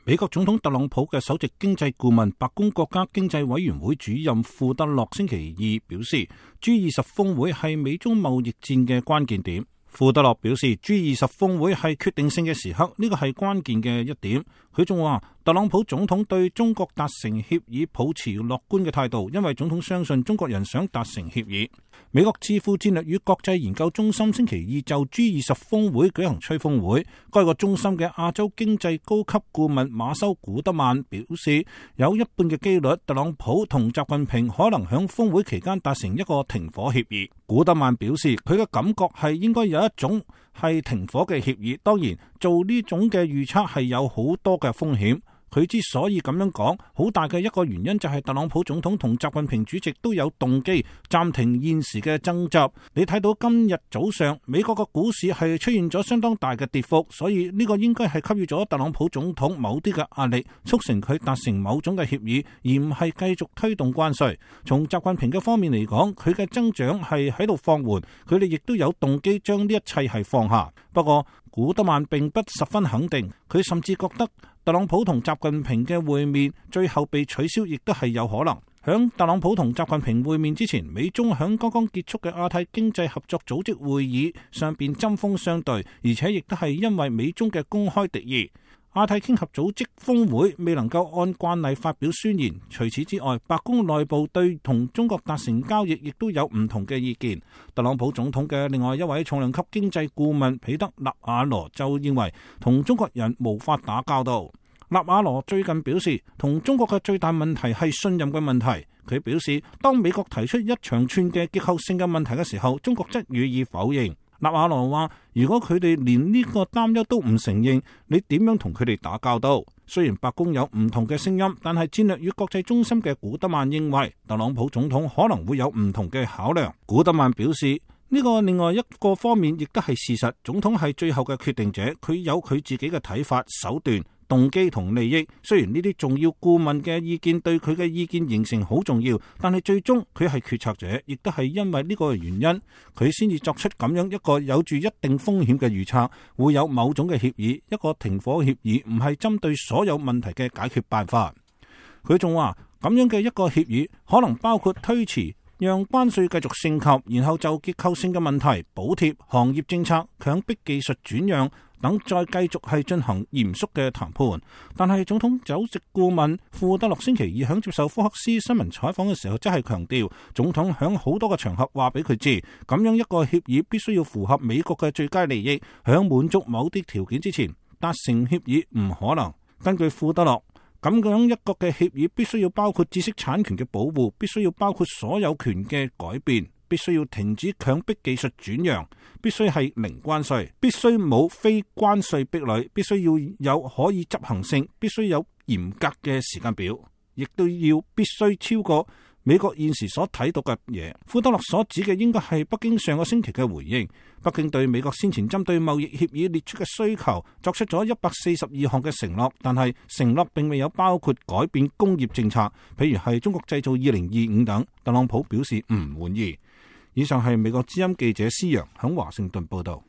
美國總統特朗普嘅首席經濟顧問、白宮國家經濟委員會主任庫德洛星期二表示，G20峰會係美中貿易戰嘅關鍵點。庫德洛表示，G20峰會係決定性嘅時刻，呢個係關鍵嘅一點。佢仲話，特朗普總統對中國達成協議抱持樂觀嘅態度，因為總統相信中國人想達成協議。美國智庫戰略與國際研究中心星期二就 G20峰會舉行吹風會，該個中心嘅亞洲經濟高級顧問馬修古德曼表示，有一半嘅機率特朗普同習近平可能響峰會期間達成一個停火協議。古德曼表示，佢嘅感覺係應該有一種係停火嘅協議，當然做呢種嘅預測係有好多嘅風險。佢之所以咁樣講，好大嘅一個原因就係特朗普總統同習近平主席都有動機暫停現時嘅爭執。你睇到今日早上美國嘅股市係出現咗相當大嘅跌幅，所以呢個應該係給予咗特朗普總統某啲嘅壓力，促成佢達成某種嘅協議，而唔係繼續推動關稅。從習近平嘅方面嚟講，佢嘅增長係喺度放緩，佢哋亦都有動機將呢一切係放下。不過古德曼並不十分肯定，佢甚至覺得特朗普同習近平嘅會面最後被取消，亦都係有可能。響特朗普同習近平會面之前，美中響剛剛結束嘅亞太經濟合作組織會議上邊針鋒相對，而且亦都係因為美中嘅公開敵意。亞太經合組織峰會未能夠按慣例發表宣言。除此之外，白宮內部對同中國達成交易亦都有唔同嘅意見。特朗普總統嘅另外一位重量級經濟顧問彼得納瓦羅就認為同中國人無法打交道。納瓦羅最近表示，同中國嘅最大問題係信任嘅問題。佢表示，當美國提出一長串嘅結構性嘅問題嘅時候，中國則予以否認。納瓦羅話，如果佢哋連呢個擔憂都唔承認，你點樣同佢哋打交道？雖然白宮有唔同嘅聲音，但係戰略與國際中心嘅古德曼認為，特朗普總統可能會有唔同嘅考量。古德曼表示，呢個另外一個方面亦都係事實，總統係最後嘅決定者，佢有佢自己嘅睇法、手段、動機同利益。雖然呢啲重要顧問嘅意見對佢嘅意見形成好重要，但係最終佢係決策者，亦都係因為呢個原因，佢先至作出咁樣一個有住一定風險嘅預測，會有某種嘅協議，一個停火協議，唔係針對所有問題嘅解決辦法。佢仲話，咁樣嘅一個協議可能包括推遲，讓關稅繼續升級，然後就結構性嘅問題、補貼、行業政策、強迫技術轉讓等再繼續係進行嚴肅嘅談判。但係總統首席顧問庫德洛星期二響接受福克斯新聞採訪嘅時候，真係強調總統響好多個場合話俾佢知，咁樣一個協議必須要符合美國嘅最佳利益，響滿足某啲條件之前達成協議唔可能。根據庫德洛，咁樣一個嘅協議必須要包括知識產權嘅保護，必須要包括所有權嘅改變，必須要停止強迫技術轉讓，必須係零關稅，必須冇非關稅壁壘，必須要有可以執行性，必須有嚴格嘅時間表，亦都要必須超過美國現時所睇到嘅嘢。庫德洛所指嘅應該係北京上個星期嘅回應。北京對美國先前針對貿易協議列出嘅需求作出咗142項嘅承諾，但係承諾並未有包括改變工業政策，譬如係中國製造2025等。特朗普表示唔滿意。以上係美國之音記者施陽響華盛頓報道。